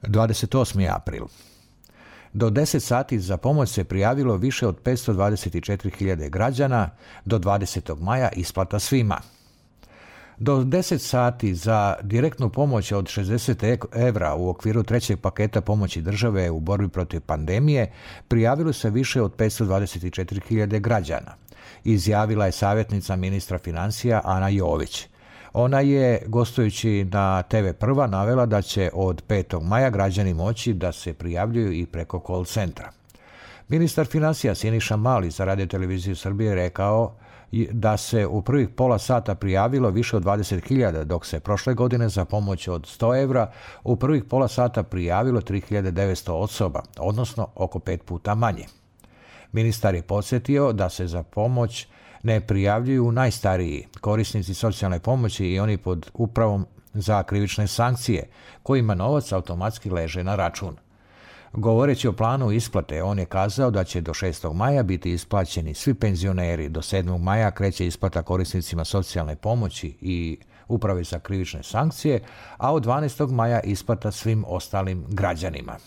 28. april. Do 10 sati za pomoć se prijavilo više od 524.000 građana, do 20. maja isplata svima. Do 10 sati za direktnu pomoć od 60 evra u okviru trećeg paketa pomoći države u borbi protiv pandemije prijavilo se više od 524.000 građana, izjavila je savjetnica ministra financija Ana Jović. Ona je, gostujući na TV Prva, navela da će od 5. maja građani moći da se prijavljuju i preko call centra. Ministar financija Siniša Mali za Radio Televiziju Srbije rekao da se u prvih pola sata prijavilo više od 20.000, dok se prošle godine za pomoć od 100 evra u prvih pola sata prijavilo 3.900 osoba, odnosno oko 5 puta manje. Ministar je podsjetio da se za pomoć ne prijavljuju najstariji korisnici socijalne pomoći i oni pod upravom za krivične sankcije, kojima novac automatski leže na račun. Govoreći o planu isplate, on je kazao da će do 6. maja biti isplaćeni svi penzioneri, do 7. maja kreće isplata korisnicima socijalne pomoći i uprave za krivične sankcije, a od 12. maja isplata svim ostalim građanima.